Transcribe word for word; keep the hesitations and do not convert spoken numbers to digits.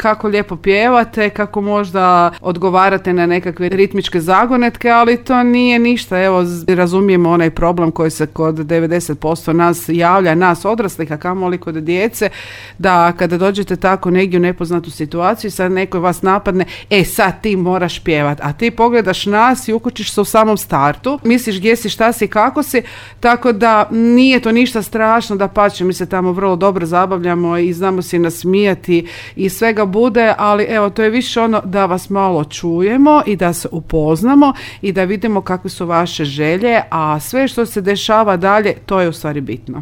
kako lijepo pjevate, kako možda odgovarate na nekakve ritmičke zagonetke, ali to nije ništa. Evo, razumijemo onaj problem koji se kod devedeset posto nas javlja, nas odraslih, a kamoli kod djece, da kada dođete tako negdje u nepoznatu situaciju, sad neko vas napadne, e sad ti moraš pjevat, a ti pogledaš nas i ukočiš se u samom startu, misliš gdje si, šta si, kako si, tako da nije to ništa strašno, da pače, mi se tamo vrlo dobro zabavljamo i znamo si nasmijati i svega bude, ali evo, to je više ono da vas malo čujemo i da se upoznamo i da vidimo kakve su vaše želje, a sve što se dešava dalje, to je u stvari bitno.